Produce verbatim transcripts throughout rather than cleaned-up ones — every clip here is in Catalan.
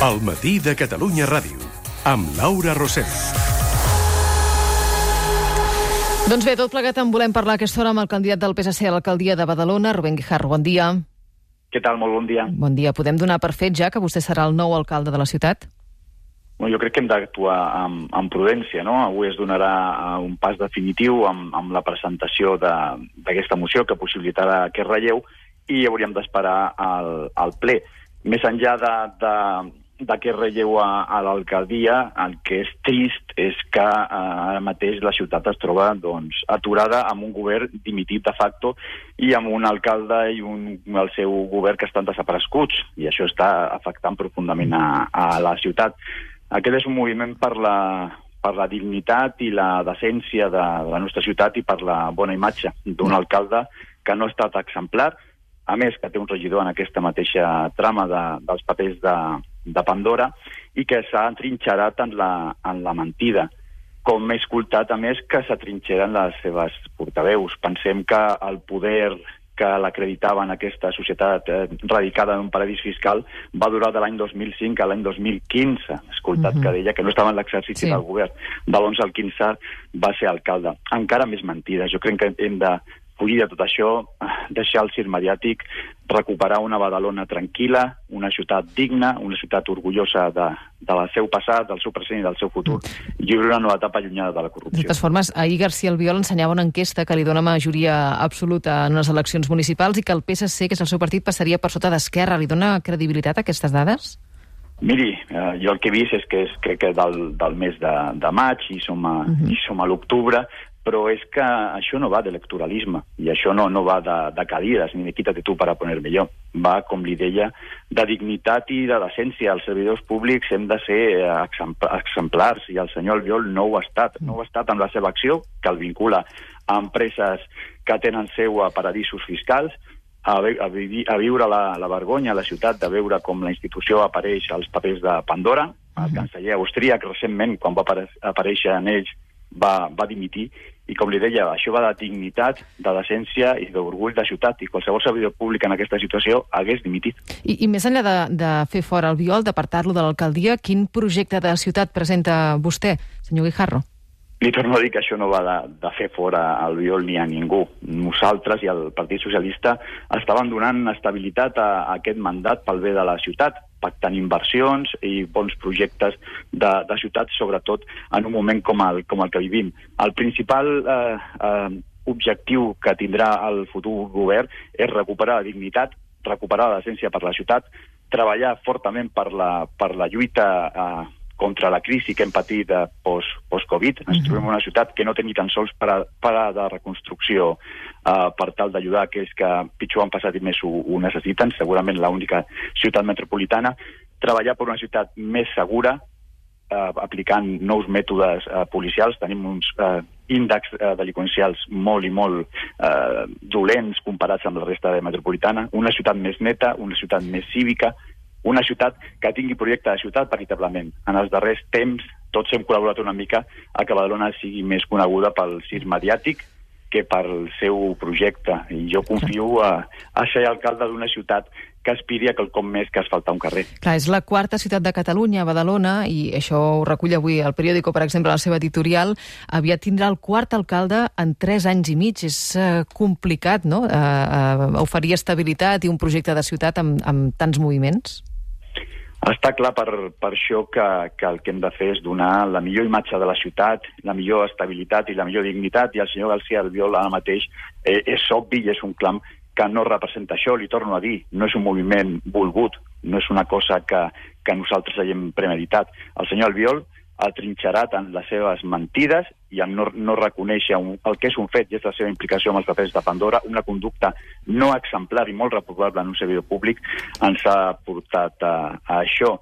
El matí de Catalunya Ràdio, amb Laura Rosell. Doncs bé, tot plegat en volem parlar a aquesta hora amb el candidat del P S C a l'alcaldia de Badalona, Rubén Guijarro. Bon dia. Què tal? Molt bon dia. Bon dia. Podem donar per fet ja que vostè serà el nou alcalde de la ciutat? Bueno, jo crec que hem d'actuar amb, amb prudència, no? Avui es donarà un pas definitiu amb, amb la presentació d'aquesta moció que possibilitarà aquest relleu i hauríem d'esperar al, al ple. Més enllà de, de, d'aquest relleu a, a l'alcaldia, el que és trist és que eh, ara mateix la ciutat es troba doncs, aturada amb un govern dimitit de facto i amb un alcalde i un, el seu govern que estan desapareguts, i això està afectant profundament a, a la ciutat. Aquest és un moviment per la, per la dignitat i la decència de, de la nostra ciutat i per la bona imatge d'un alcalde que no ha estat exemplar, a més que té un regidor en aquesta mateixa trama de, dels papers de, de Pandora i que s'ha entrinxerat en la, en la mentida. Com he escoltat, a més, que s'atrinxeren les seves portaveus. Pensem que el poder que l'acreditava en aquesta societat eh, radicada en un paradís fiscal va durar de l'any dos mil cinc a l'any dos mil quinze. He escoltat uh-huh. que deia que no estava en l'exercici sí. del govern. De l'onze al quinze va ser alcalde. Encara més mentides. Jo crec que hem de fugir de tot això, deixar el circ mediàtic, recuperar una Badalona tranquil·la, una ciutat digna, una ciutat orgullosa de, de la seu passat, del seu present i del seu futur, i viure una nova etapa allunyada de la corrupció. De totes formes, ahir García Albiol ensenyava una enquesta que li dona majoria absoluta en les eleccions municipals i que el P S C, que és el seu partit, passaria per sota d'Esquerra. Li dona credibilitat a aquestes dades? Miri, eh, jo el que he vist és que és crec que del, del mes de, de maig i som a, uh-huh. i som a l'octubre, però és que això no va d'electoralisme i això no, no va de, de cadires ni de quítate tu para ponerme yo. Va, com li deia, de dignitat i de decència. Els servidors públics hem de ser exemplars i el senyor Albiol no ho ha estat. No ho ha estat amb la seva acció, que el vincula a empreses que tenen seu a paradisos fiscals, a, a, vi, a viure la, la vergonya a la ciutat de veure com la institució apareix als papers de Pandora. El canceller austríac recentment, quan va aparèixer en ells, va, va dimitir, i com li deia, això va de dignitat, de decència i d'orgull de ciutat, i qualsevol servidor públic en aquesta situació hagués dimitit. I, i més enllà de, de fer fora Albiol, d'apartar-lo de l'alcaldia, quin projecte de ciutat presenta vostè, senyor Guijarro? Li torno a dir que això no va de, de fer fora Albiol ni a ningú. Nosaltres i el Partit Socialista estaven donant estabilitat a, a aquest mandat pel bé de la ciutat, pactant inversions i bons projectes de, de ciutat, sobretot en un moment com el, com el que vivim. El principal eh, eh, objectiu que tindrà el futur govern és recuperar la dignitat, recuperar la decència per la ciutat, treballar fortament per la, per la lluita eh, contra la crisi que hem patit de post, post-Covid. Ens trobem en una ciutat que no té ni tan sols per, per de reconstrucció uh, per tal d'ajudar aquells que pitjor han passat i més ho, ho necessiten, segurament l'única ciutat metropolitana. Treballar per una ciutat més segura, uh, aplicant nous mètodes uh, policials. Tenim uns uh, índexs uh, delinqüencials molt i molt uh, dolents comparats amb la resta de metropolitana. Una ciutat més neta, una ciutat més cívica, una ciutat que tingui projecte de ciutat veritablement. En els darrers temps tots hem col·laborat una mica a que Badalona sigui més coneguda pel circ mediàtic que pel seu projecte. I jo confio a, a ser alcalde d'una ciutat que aspiri a quelcom més que asfaltar un carrer. Clar, és la quarta ciutat de Catalunya, Badalona, i això ho recull avui el periòdico, per exemple, la seva editorial. Aviat tindrà el quart alcalde en tres anys i mig. És uh, complicat, no?, uh, uh, oferir estabilitat i un projecte de ciutat amb, amb tants moviments? Està clar per, per això que, que el que hem de fer és donar la millor imatge de la ciutat, la millor estabilitat i la millor dignitat, i el senyor García Albiol ara mateix eh, és obvi i és un clam que no representa això. Li torno a dir, no és un moviment volgut, no és una cosa que, que nosaltres haguem premeditat. El senyor Albiol ha trinxerat en les seves mentides i en no, no reconèixer un, el que és un fet i és la seva implicació amb els papers de Pandora, una conducta no exemplar i molt reprovable en un servidor públic, ens ha portat a, a això.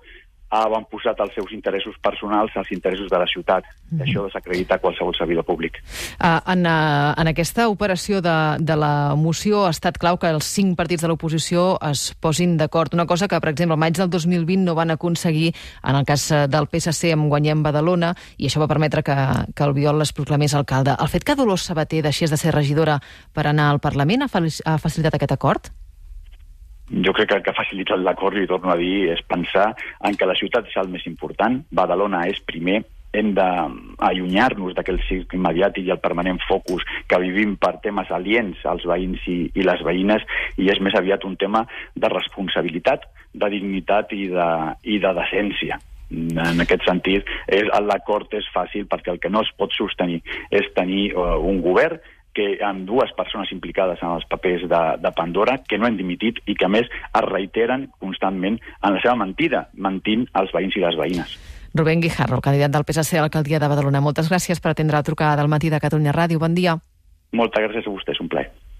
Ha avantposat els seus interessos personals als interessos de la ciutat. Mm-hmm. Això desacredita qualsevol servidor públic. Uh, en, uh, en aquesta operació de, de la moció ha estat clau que els cinc partits de l'oposició es posin d'acord. Una cosa que, per exemple, al maig del dos mil vint no van aconseguir en el cas del P S C amb Guanyem Badalona, i això va permetre que, que Albiol es proclamés alcalde. El fet que Dolors Sabater deixés de ser regidora per anar al Parlament ha, ha facilitat aquest acord? Jo crec que el que ha facilitat l'acord, i torno a dir, és pensar en que la ciutat és el més important, Badalona és primer, hem d'allunyar-nos d'aquell circ mediàtic i el permanent focus que vivim per temes aliens als veïns i, i les veïnes, i és més aviat un tema de responsabilitat, de dignitat i de, i de decència. En aquest sentit, l'acord és fàcil perquè el que no es pot sostenir és tenir uh, un govern que amb dues persones implicades en els papers de, de Pandora, que no han dimitit i que a més es reiteren constantment en la seva mentida, mentint als veïns i les veïnes. Rubén Guijarro, candidat del P S C a l'alcaldia de Badalona. Moltes gràcies per atendre la trucada del matí de Catalunya Ràdio. Bon dia. Moltes gràcies a vostès, un plaer.